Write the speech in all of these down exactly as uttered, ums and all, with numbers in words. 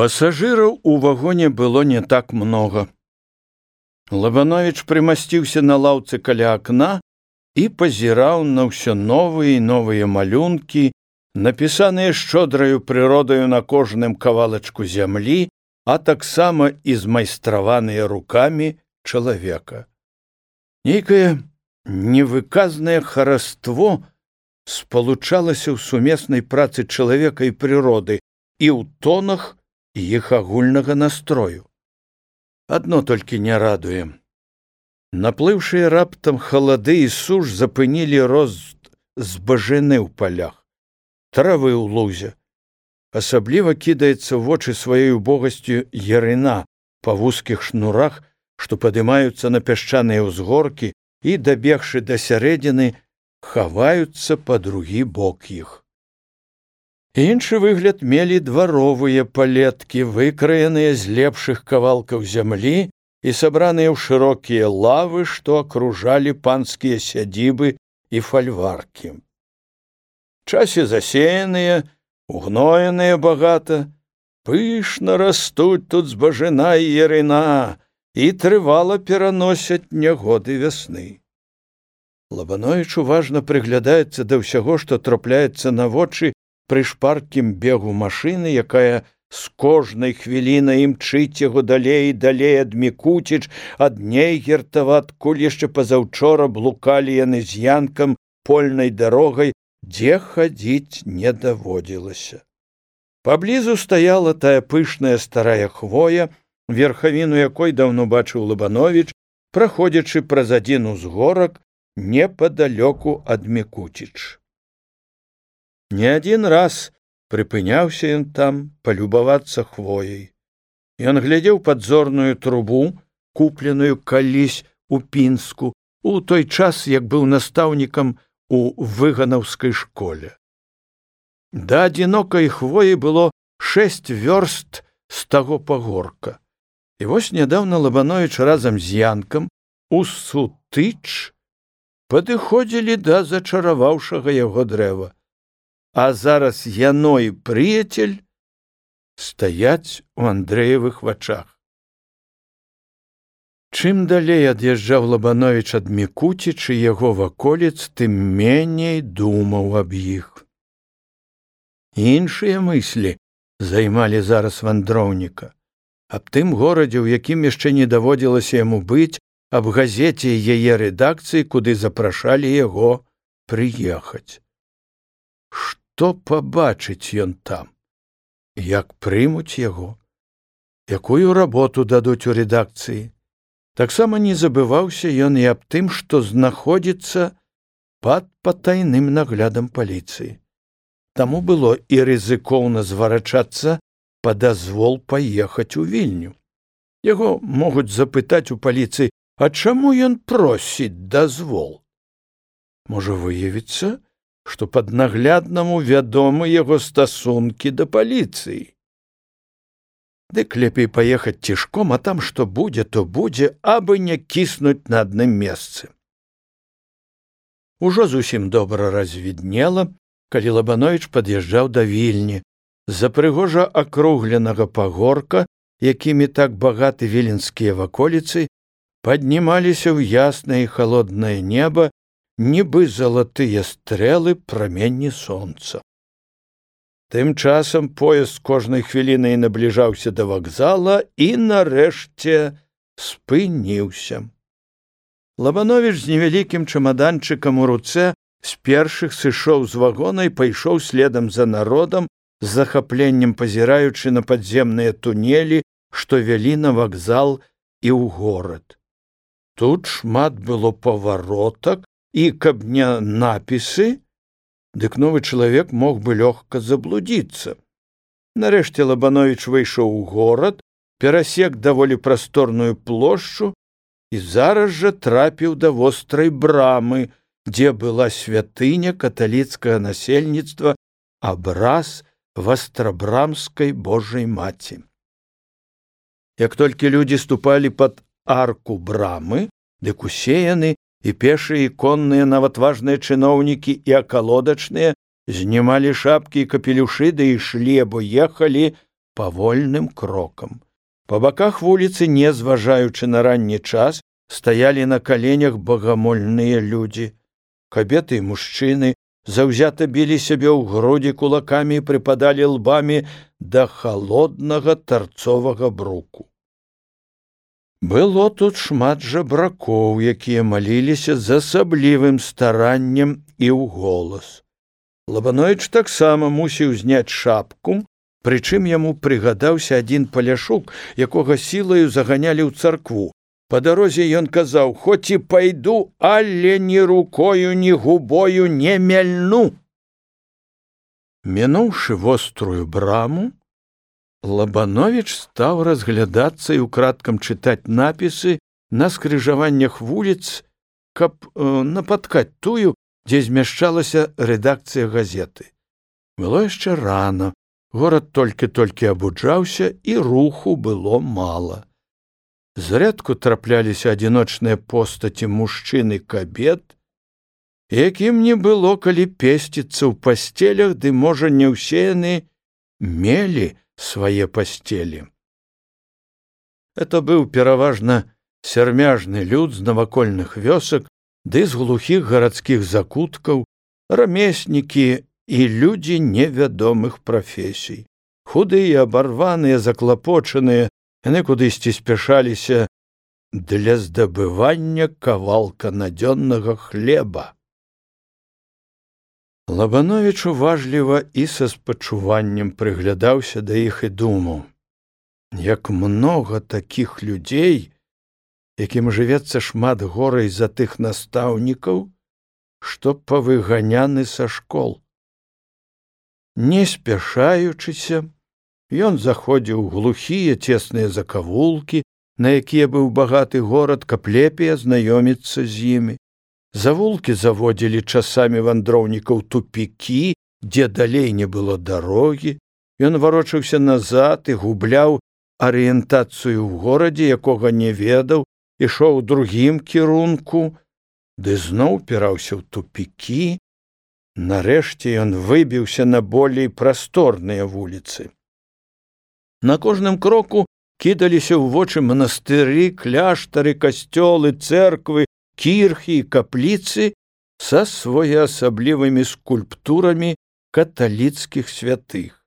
Пасажыраў у вагоне было не так много. Лабановіч прымасціўся на лаўцы каля акна і пазіраў на ўсё новыя і новыя малюнкі, напісаныя шчодраю прыродаю на кожным кавалачку зямлі, а таксама і змайстраваныя рукамі чалавека. Нейкае невыказнае хараство спалучалася ў сумеснай працы чалавека і прыроды і ў тонах іх агульнага настрою. Адно толькі не радуе. Наплыўшыя раптам халады і суш запынілі рост збажыны ў палях, травы ў лузе. Асабліва кідаецца ў вочы сваёй убогасцю ярына па вузкіх шнурах, што падымаюцца на пясчаныя ўзгоркі і, дабегшы да сярэдзіны, хаваюцца па другі бок іх. Іншы выгляд мелі дваровыя палеткі, выкраеныя з лепшых кавалкаў зямлі і сабраныя ў шырокія лавы, што акружалі панскія сядзібы і фальваркі. Часе засеяныя, угноеныя багата, пышна растуць тут збажына і ярына і трывала пераносяць нягоды вясны. Лабановіч уважна прыглядаецца да ўсяго, што трапляецца на вочы пры шпаркім бегу машыны, якая з кожнай хвілінай імчыць яго далей і далей ад Мікуціч, ад Нейгертава, адкуль яшчэ пазаўчора блукалі яны з Янкам польнай дарогай, дзе хадзіць не даводзілася. Паблізу стаяла тая пышная старая хвоя, верхавіну якой даўно бачыў Лабановіч, праходзячы праз адзін узгорак непадалёку ад Мікуціч. Не адзін раз прыпыняўся ён там палюбавацца хвояй. Ён глядзеў падзорную трубу, купленую калісь у Пінску, у той час, як быў настаўнікам у выганаўскай школе. Да адзінокай хвоі было шэсць вёрст з таго пагорка. І вось нядаўна Лабановіч разам з Янкам у Сутыч падыходзілі да зачараваўшага яго дрэва. А зараз яно і прыяцель стаяць у Андрэевых вачах. Чым далей ад'язджаў Лабановіч ад Мікуціч і яго ваколіц, тым меней думаў аб іх. Іншыя мыслі займалі зараз вандроўніка. Аб тым горадзе, у якім яшчэ не даводзілася яму быць, аб газеце і яе рэдакцыі, куды запрашалі яго прыехаць. Што пабачыць ён там? Як прымуць яго? Якую работу дадуць у рэдакцыі? Таксама не забываўся ён і аб тым, што знаходзіцца пад патайным наглядам паліцыі. Таму было і рызыкоўна зварачацца па дазвол паехаць у Вільню. Яго могуць запытаць у паліцыі, а чаму ён просіць дазвол? Можа выявіцца, што паднагляднаму вядомы яго стасункі да паліцыі. Дык лепей паехаць цішком, а там што будзе, то будзе, абы не кіснуць на адным месцы. Ужо зусім добра развіднела, калі Лабановіч пад'язджаў да Вільні. З-за прыгожа акругленага пагорка, якімі так багаты віленскія ваколіцы, паднімаліся ў яснае і халоднае неба нібы залатыя стрэлы праменні сонца. Тым часам поезд кожнай хвілінай набліжаўся да вакзала і, нарэшце, спыніўся. Лабановіч з невялікім чамаданчыкам у руцэ з першых сышоў з вагона і пайшоў следам за народам, з захапленнем пазіраючы на падземныя тунелі, што вялі на вакзал і ў горад. Тут шмат было паваротак, і каб не напісы, дык новы чалавек мог бы лёгка заблудзіцца. Нарэшце Лабановіч выйшаў у горад, перасек даволі прасторную плошчу і зараз жа трапіў да вострай брамы, дзе была святыня каталіцкага насельніцтва, абраз вастрабрамскай Божай маці. Як толькі людзі ступалі пад арку брамы, дык усе яны, і пешыя, і конныя, нават важныя чыноўнікі і акалодачныя, знімалі шапкі і капелюшы, да ішлі або ехалі павольным крокам. Па баках вуліцы, не зважаючы на ранні час, стаялі на каленях багамольныя людзі. Кабеты і мужчыны заўзята білі сябе ў грудзі кулакамі і прыпадалі лбамі да халоднага тарцовага бруку. Было тут шмат жабракоў, якія маліліся з асаблівым стараннем і ў голас. Лабановіч таксама мусіў зняць шапку, прычым яму прыгадаўся адзін паляшук, якога сілаю заганялі ў царкву. Па дарозе ён казаў: «Хоць і пайду, але ні рукою, ні губою не мяльну». Мінуўшы вострую браму, Лабановіч стаў разглядацца і ўкрадкам чытаць напісы на скрыжаваннях вуліц, каб э, напаткаць тую, дзе змяшчалася рэдакцыя газеты. Было яшчэ рана, горад толькі-толькі абуджаўся, і руху было мала. Зрэдку трапляліся адзіночныя постаці мужчын і кабет, якім не было калі песціцца ў пасцелях, ды, можа, не ўсе яны мелі свае пасцелі. Это быў пераважна сярмяжны люд з навакольных вёсак, ды з глухіх гарадскіх закуткаў, рамеснікі і людзі невядомых прафесій. Худыя, абарваныя, заклапочаныя, яны кудысьці спяшаліся для здабывання кавалка надзённага хлеба. Лабановіч уважліва і са спачуваннем прыглядаўся да іх і думаў: як многа такіх людзей, якім жывецца шмат горай за тых настаўнікаў, што павыганяны са школ. Не спяшаючыся, ён заходзіў у глухія цесныя закавулкі, на якія быў багаты горад, каб лепей азнаёміцца з імі. Завулкі заводзілі часамі вандроўнікаў тупікі, дзе далей не было дарогі. Ён варочаўся назад і губляў арыентацыю ў горадзе, якога не ведаў, ішоў у другім кірунку, ды зноў упіраўся ў тупікі. Нарэшце ён выбіўся на болей прасторныя вуліцы. На кожным кроку кідаліся ў вочы манастыры, кляштары, касцёлы, цэрквы, кірхі і капліцы са своеасаблівымі скульптурамі каталіцкіх святых.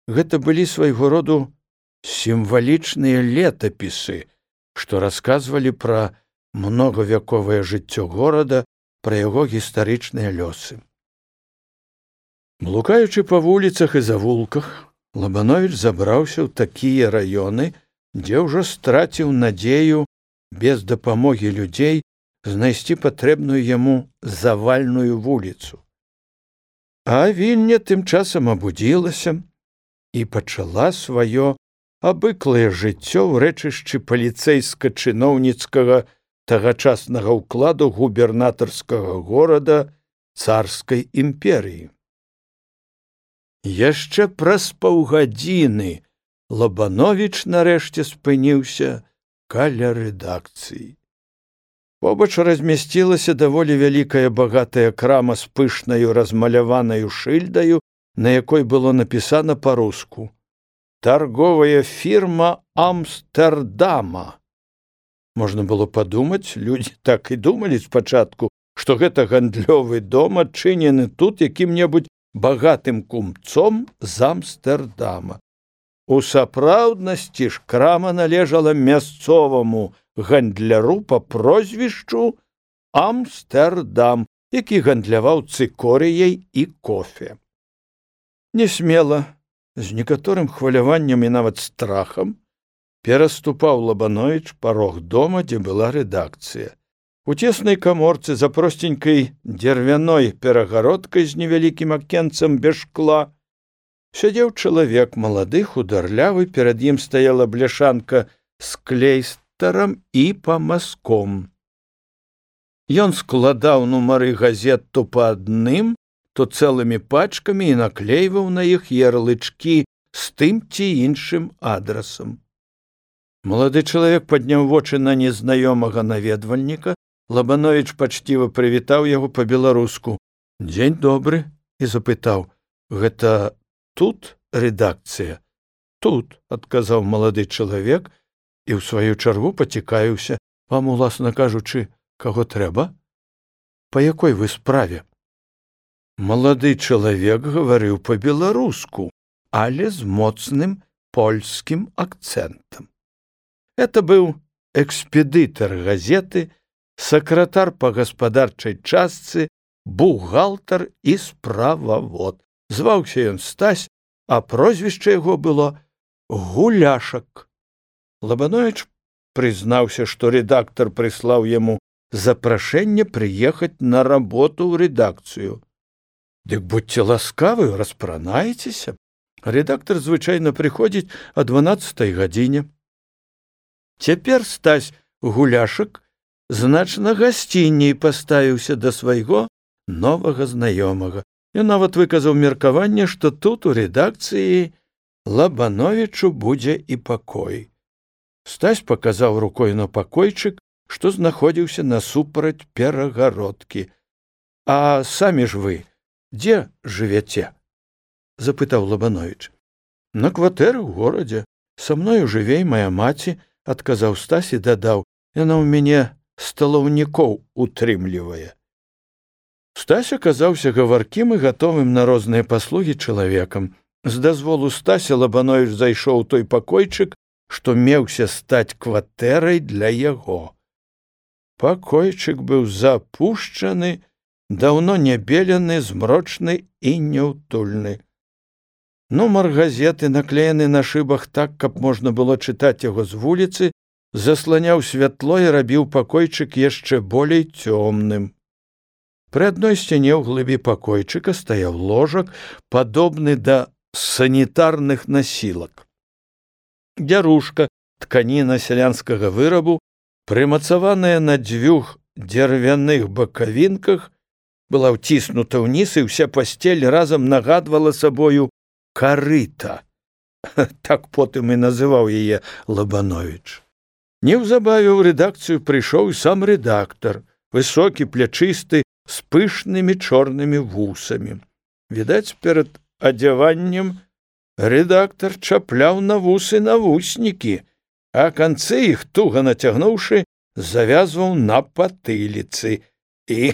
Гэта былі свайго роду сімвалічныя летапісы, што расказвалі пра многавяковае жыццё горада, пра яго гістарычныя лёсы. Блукаючы па вуліцах і завулках, Лабановіч забраўся ў такія раёны, дзе ўжо страціў надзею без дапамогі людзей знайсці патрэбную яму завальную вуліцу. А Вільня тым часам абудзілася і пачала сваё абыклае жыццё ў рэчышчы паліцэйска-чыноўніцкага тагачаснага ўкладу губернатарскага горада царскай імперыі. Яшчэ праз паўгадзіны Лабановіч нарэшце спыніўся каля рэдакцыі. Побач размясцілася даволі вялікая багатая крама з пышнаю размаляванаю шыльдаю, на якой было напісана па-руску: «Тарговая фірма Амстэрдама». Можна было падумаць, людзі так і думалі спачатку, што гэта гандлёвы дом, адчынены тут якім-небудзь багатым кумцом з Амстэрдама. У сапраўднасці ж крама належала мясцоваму гандляру па прозвішчу Амстэрдам, які гандляваў цыкорыяй і кофе. Несмела, з некаторым хваляваннем і нават страхам, пераступаў Лабановіч парог дома, дзе была рэдакцыя. У цеснай каморцы за простенькай дзервяной перагародкай з невялікім акенцам без шкла сядзеў чалавек малады, хударлявы, перад ім стаяла бляшанка з клейстарам і памазком. Ён складаў нумары газет то па адным, то цэлымі пачкамі і наклейваў на іх ярлычкі з тым ці іншым адрасам. Малады чалавек падняў вочы на незнаёмага наведвальніка. Лабановіч пачціва прывітаў яго па-беларуску: «Дзень добры», і запытаў: «Гэта тут рэдакцыя?» тут, адказаў малады чалавек і ў сваю чаргу пацікавіўся: вам, уласна кажучы, каго трэба? Па якой вы справе? Малады чалавек гаварыў па-беларуску, але з моцным польскім акцэнтам. Это быў экспедытар газеты, сакратар па гаспадарчай частцы, бухгалтар і справавод. Зваўся ён Стась, а прозвішча яго было Гуляшак. Лабановіч прызнаўся, што рэдактар прыслаў яму запрашэнне прыехаць на работу ў рэдакцыю. Дык будьце ласкавы, распранаецеся. Рэдактар звычайна прыходзіць о дванаццатай гадзіне. Цяпер Стась Гуляшак значна гасцінней паставіўся да свайго новага знаёмага. Ён нават выказаў меркаванне, што тут у рэдакцыі Лабановічу будзе і пакой. Стась паказаў рукой на пакойчык, што знаходзіўся насупраць перагародкі. А самі ж вы дзе жывяце? Запытаў Лабановіч. На кватэры ў горадзе. Са мною жыве і мая маці, адказаў Стась і дадаў: яна ў мяне сталаўнікоў утрымлівае. Стась аказаўся гаваркім і гатовым на розныя паслугі чалавекам. З дазволу Стася Лабановіч зайшоў у той пакойчык, што меўся стаць кватэрай для яго. Пакойчык быў запушчаны, даўно не белены, змрочны і няўтульны. Нумар газеты, наклеены на шыбах так, каб можна было чытаць яго з вуліцы, засланяў святло і рабіў пакойчык яшчэ болей цёмным. Пры адной сцяне ў глыбі пакойчыка стаяў ложак, падобны да санітарных насілак. Дзярушка, тканіна сялянскага вырабу, прымацаваная на дзвюх дзервяных бакавінках, была ўціснута ўніз, і ўся пасцель разам нагадвала сабою карыта. Так потым і называў яе Лабановіч. Неўзабаве ў рэдакцыю прыйшоў і сам рэдактар, высокі, плячысты, з пышнымі чорнымі вусамі. Відаць, перад адзяваннем рэдактар чапляў на вусы навуснікі, а канцы іх, туга нацягнуўшы, завязваў на патыліцы. І,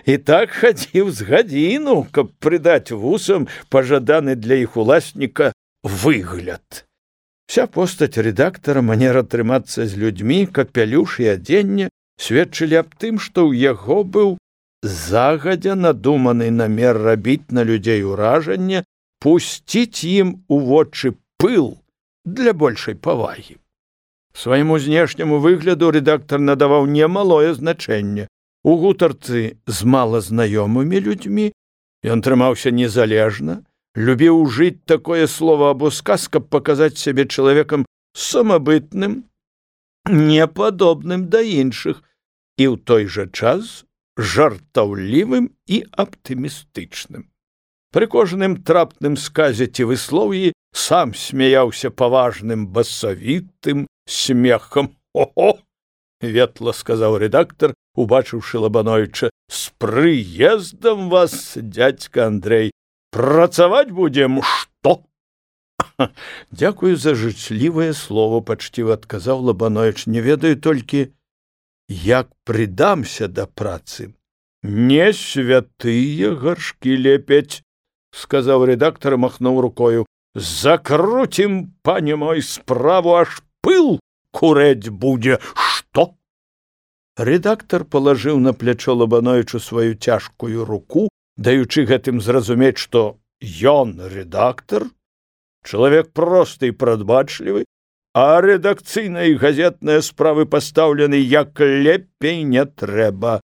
і так хадзіў з гадзіну, каб прыдаць вусам пажаданы для іх уласніка выгляд. Вся постаць рэдактара, манера трымацца з людзьмі, капялюш і адзенне сведчылі аб тым, што ў яго быў загадзя надуманы намер рабіць на людзей уражанне, пусціць ім у вочы пыл для большай павагі. Свайму знешняму выгляду рэдактар надаваў немалое значэнне. У гутарцы з малазнаёмымі людзьмі ён трымаўся незалежна, любіў ужыць такое слова або сказ, каб паказаць сябе чалавекам самабытным, непадобным да іншых, і ў той жа час жартаўлівым і аптымістычным. Пры кожным трапным сказе ці выслоўі сам смяяўся паважным басавітым смехам. «О-о!» — ветла сказаў рэдактар, убачыўшы Лабановіча. «З прыездам вас, дядька Андрэй! Працаваць будзем, што?» «Дзякую за жычлівае слово», — пачціва адказаў Лабановіч. «Не ведаю толькі, як прыдамся да працы». «Не святыя гаршкі лепяць», — сказаў рэдактар, махнуў рукою. «Закруцім, пане мой, справу, аж пыл курэць будзе, што?» Рэдактар палажыў на плячо Лабановічу сваю цяжкую руку, даючы гэтым зразумець, што ён рэдактар, чалавек просты і прадбачлівы, а рэдакцыйныя і газетныя справы пастаўлены як лепей не трэба.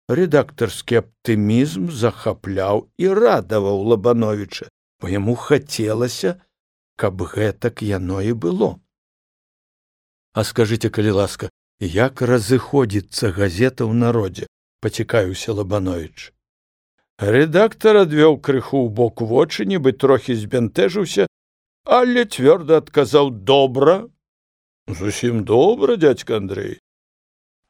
Рэдактарскі аптымізм захапляў і радаваў Лабановіча, бо яму хацелася, каб гэтак яно і было. «А скажыце, калі ласка, як разыходзіцца газета ў народзе?» — пацікавіўся Лабановіч. Рэдактар адвёў крыху ў бок вочы, нібы трохі збянтэжыўся, але цвёрда адказаў: «Добра, зусім добра, дядька Андрэй.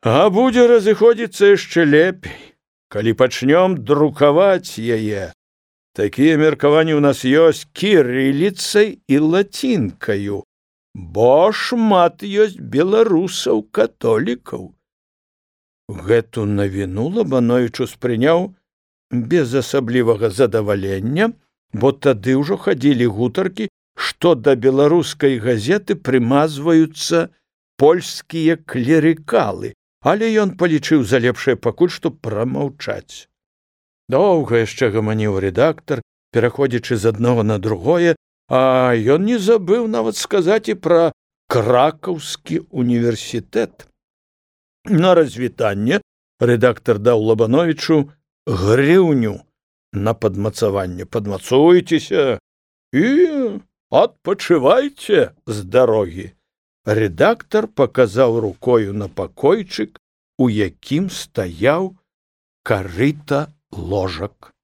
А будзе разыходзіцца яшчэ лепей, калі пачнём друкаваць яе. Такія меркаванні ў нас ёсць кірыліцай і лацінкаю, бо шмат ёсць беларусаў-католікаў. Гэту навіну Лабановіч успрыняў без асаблівага задавалення, бо тады ўжо хадзілі гутаркі, што да беларускай газеты прымазваюцца польскія клерыкалы, але ён палічыў за лепшае пакуль што прамаўчаць. Доўга яшчэ гаманіў рэдактар, пераходзячы з аднаго на другое, а ён не забыў нават сказаць і пра Кракаўскі універсітэт. На развітанне рэдактар даў Лабановічу грыўню на падмацаванне. Падмацуйцеся і адпачывайце з дарогі. Рэдактар паказаў рукою на пакойчык, у якім стаяў карыта ложак.